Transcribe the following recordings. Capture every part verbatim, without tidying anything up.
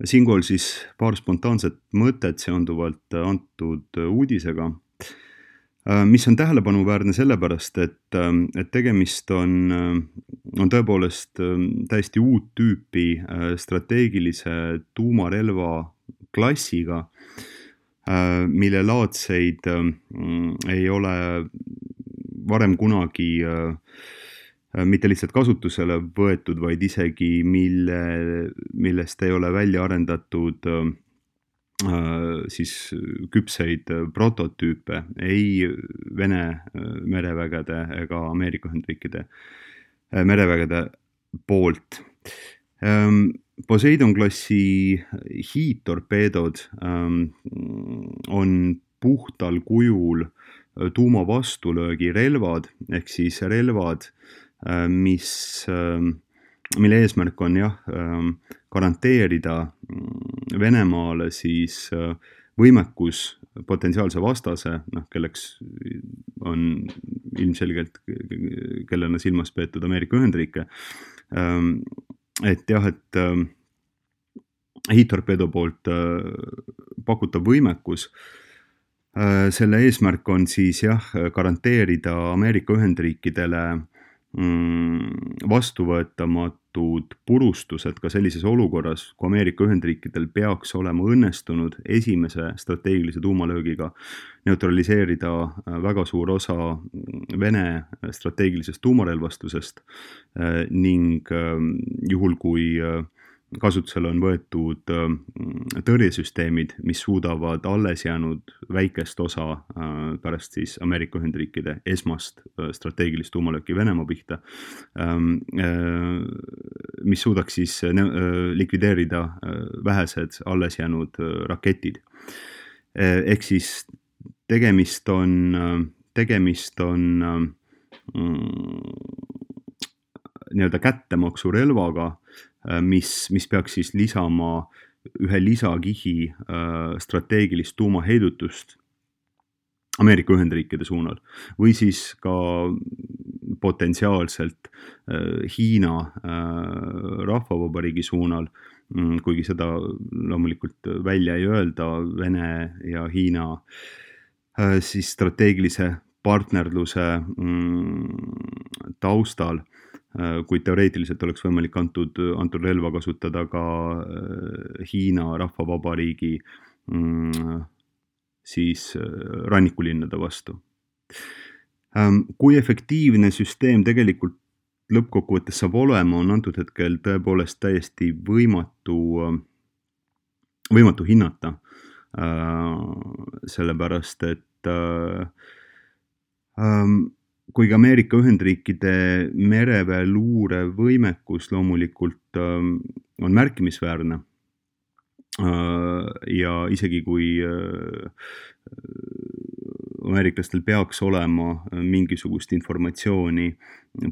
Siinkohal siis paar spontaanset mõtet seonduvalt antud uudisega, mis on tähelepanuväärne sellepärast, et, et tegemist on, on tõepoolest täiesti uut tüüpi strateegilise tuumarelva klassiga, mille laadseid ei ole varem kunagi mitte lihtsalt kasutusele võetud, vaid isegi mille, millest ei ole välja arendatud siis küpseid prototüüpe ei Vene merevägede ega Ameerika Ühendriikide merevägede poolt. Poseidon klassi hiidtorpeedod on puhtal kujul tuuma vastulöögi relvad, ehk siis relvad, mis, mille eesmärk on jah, garanteerida Venemaale siis võimekus potentsiaalse vastase, noh, kelleks on ilmselgelt, kellena silmas peetud Ameerika Ühendriike, et jah, et hiidtorpeedo poolt pakutav võimekus, selle eesmärk on siis jah, garanteerida Ameerika Ühendriikidele vastuvõetamatud purustused ka sellises olukorras, kui Ameerika Ühendriikidel peaks olema õnnestunud esimese strateegilise tuumalöögiga neutraliseerida väga suur osa Vene strateegilisest tuumarelvastusest ning juhul, kui kasutusele on võetud tõrjesüsteemid, mis suudavad alles jäänud väikest osa pärast siis Ameerika Ühendriikide esmast strateegilist tuumalööki Venemaa pihta, mis suudaks siis likvideerida vähesed alles jäänud raketid. Ehk siis tegemist on, tegemist on nii-öelda kättemaksurelvaga, mis, mis peaks siis lisama ühe lisakihi strateegilist tuumaheidutust Ameerika Ühendriikide suunal või siis ka potentsiaalselt Hiina rahvavabariigi suunal, kuigi seda loomulikult välja ei öelda Vene ja Hiina siis strateegilise partnerluse taustal, kuid teoreetiliselt oleks võimalik antud, antud relva kasutada ka Hiina rahvavabariigi siis rannikulinnade vastu. Kui efektiivne süsteem tegelikult lõppkokkuvõttes saab olema, on antud hetkel tõepoolest täiesti võimatu, võimatu hinnata, sellepärast et kuigi Ameerika Ühendriikide mereväe luure võimekus loomulikult on märkimisväärne ja isegi kui ameeriklastel peaks olema mingisugust informatsiooni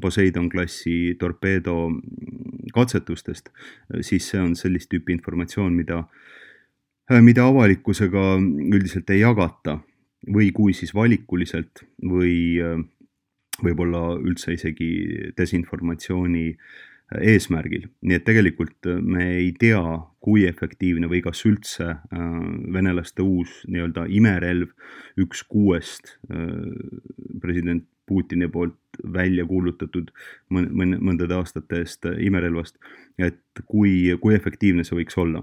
Poseidon klassi torpeedo katsetustest, siis see on sellist tüüpi informatsioon, mida, mida avalikkusega üldiselt ei jagata või kui siis valikuliselt või võib-olla üldse isegi desinformatsiooni eesmärgil. Nii et tegelikult me ei tea, kui efektiivne või kas üldse venelaste uus nii-öelda imerelv üks kuuest president Putini poolt välja kuulutatud mõndade aastate eest imerelvast, et kui, kui efektiivne see võiks olla.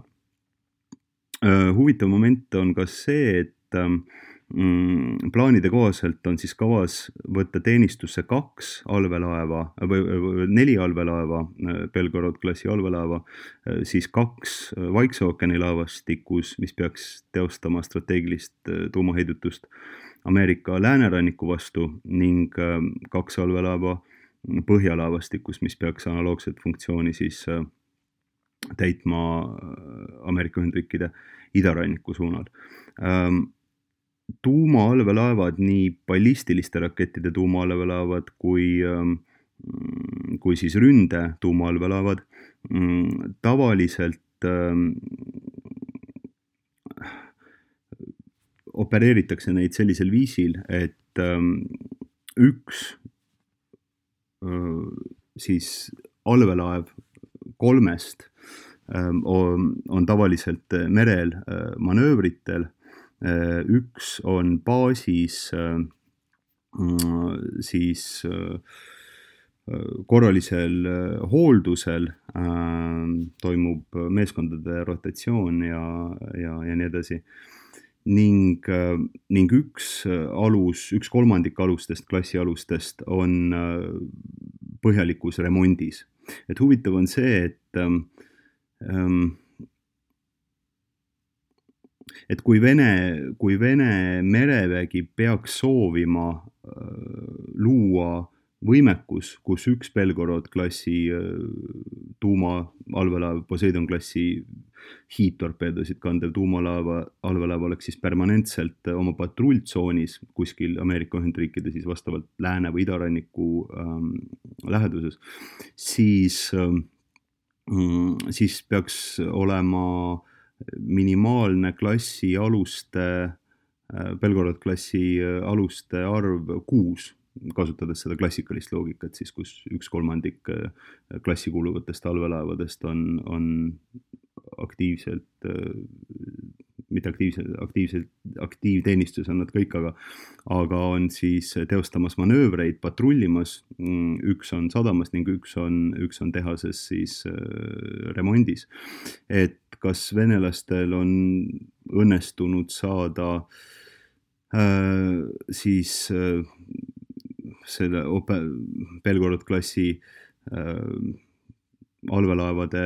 Huvitav moment on ka see, et plaanide kohaselt on siis kavas võtta teenistusse kaks allveelaeva või neli allveelaeva, Belgorod klassi allveelaeva, siis kaks Vaikse ookeani laevastikus, mis peaks teostama strateegilist tuumaheidutust Ameerika lääneranniku vastu ning kaks allveelaeva põhjalaevastikus, mis peaks analoogset funktsiooni siis täitma Ameerika Ühendriikide idaranniku suunal. Tuumaallveelaevad, nii ballistiliste rakettide tuumaallveelaevad kui, kui siis ründe tuumaallveelaevad tavaliselt opereeritakse neid sellisel viisil, et üks siis allveelaev kolmest on, on tavaliselt merel manöövritel, üks on baasis siis korralisel hooldusel, toimub meeskondade rotatsioon ja, ja, ja nii edasi. Ning, ning üks alus, üks kolmandik alustest, klassi alustest on põhjalikus remondis. Et huvitav on see, et, et kui Vene, kui Vene merevägi peaks soovima luua võimekus, kus üks Belgorod klassi tuumaallveelaev, Poseidon klassi hiidtorpeedosid kandev tuumalaeva, allveelaev oleks siis permanentselt oma patrulltsoonis kuskil Ameerika Ühendriikide siis vastavalt lääne- või idaranniku ähm, läheduses, siis, ähm, siis peaks olema minimaalne klassi aluste, äh, Belgorod klassi aluste arv kuus, kasutades seda klassikalist loogikat, siis kus üks kolmandik klassi kuuluvatest allveelaevadest on, on aktiivselt, mitte aktiivselt, aktiivselt, aktiivteenistus on nad kõik, aga, aga on siis teostamas manöövreid, patrullimas, üks on sadamas ning üks on, üks on tehases siis remondis. Et kas venelastel on õnnestunud saada äh, siis äh, selle Belgorod klassi äh, allveelaevade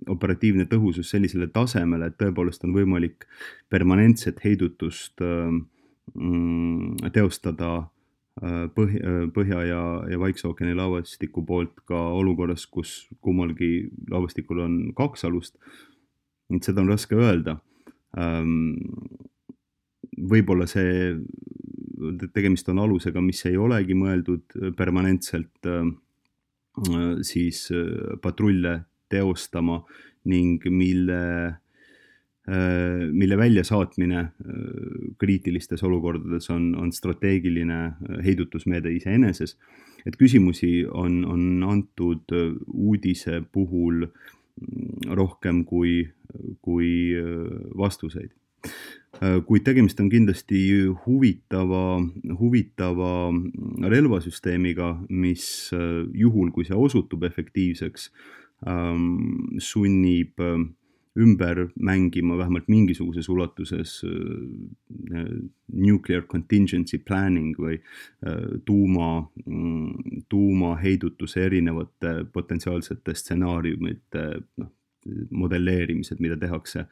operatiivne tõhusus sellisele tasemele, et tõepoolest on võimalik permanentset heidutust äh, teostada äh, Põhja, Põhja ja, ja Vaikse ookeani laevastiku poolt ka olukorras, kus kummalgi laevastikul on kaks alust. Et seda on raske öelda. Ähm, võib-olla see tegemist on alusega, mis ei olegi mõeldud permanentselt siis patrulle teostama ning mille, mille väljasaatmine kriitilistes olukordades on, on strateegiline heidutusmeede iseeneses. Et küsimusi on, on antud uudise puhul rohkem kui, kui vastuseid. Kuid tegemist on kindlasti huvitava, huvitava relvasüsteemiga, mis juhul, kui see osutub efektiivseks, sunnib ümber mängima vähemalt mingisuguses ulatuses nuclear contingency planning või tuuma, tuumaheidutuse erinevate potentsiaalsete stsenaariumite no, modelleerimised, mida tehakse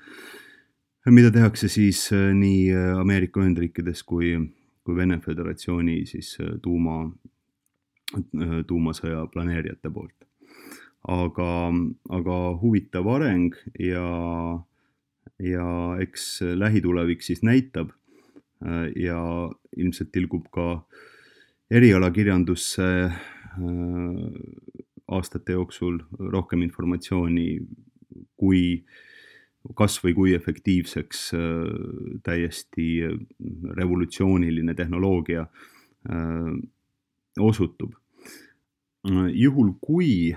mida tehakse siis nii Ameerika Ühendriikides kui, kui Vene Föderatsiooni siis tuuma, tuumasõja planeerijate poolt. Aga, aga huvitav areng ja, ja eks lähitulevik siis näitab ja ilmselt tilgub ka erialakirjandusse aastate jooksul rohkem informatsiooni, kui kas või kui efektiivseks täiesti revolutsiooniline tehnoloogia osutub. Juhul kui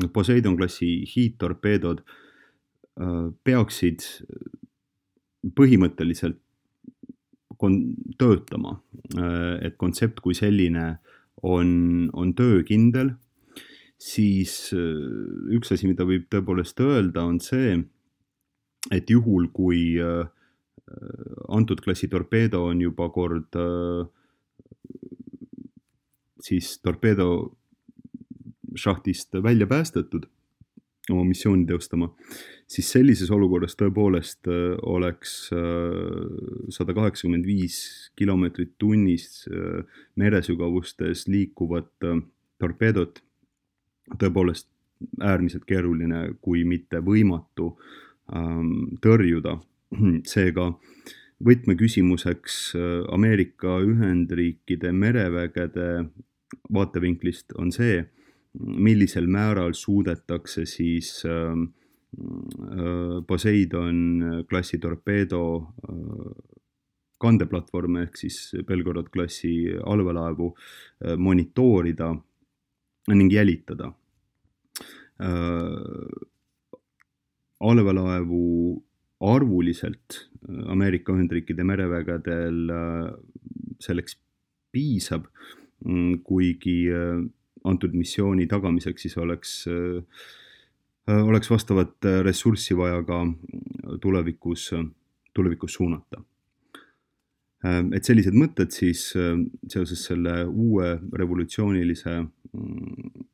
Poseidon klassi hiidtorpeedod peaksid põhimõtteliselt töötama, et kontsept kui selline on, on töökindel, siis üks asi, mida võib tõepoolest öelda, on see, et juhul, kui antud klassi torpeedo on juba kord siis torpeedo šahtist välja päästetud oma missiooni teostama, siis sellises olukorras tõepoolest oleks sada kaheksakümmend viis kilomeetrit tunnis meresügavustes liikuvat torpeedot tõepoolest äärmiselt keeruline, kui mitte võimatu tõrjuda. Seega võtmeküsimuseks Ameerika Ühendriikide merevägede vaatevinklist on see, millisel määral suudetakse siis Poseidon klassi torpeedo kandeplatvorme ehk siis Belgorod klassi allveelaevu monitoorida ning jälitada. allveelaevu arvuliselt Ameerika Ühendriikide merevägedel selleks piisab, kuigi antud missiooni tagamiseks siis oleks, oleks vastavat ressurssi vaja ka tulevikus, tulevikus suunata. Et sellised mõtted siis seoses selle uue revolutsioonilise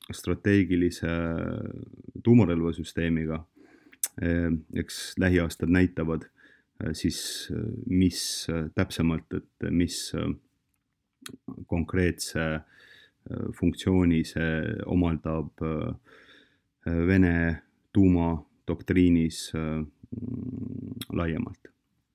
strateegilise tuumarelvasüsteemiga, eks lähiaastad näitavad siis, mis täpsemalt, et mis konkreetse funktsiooni see omaldab Vene tuumadoktriinis laiemalt.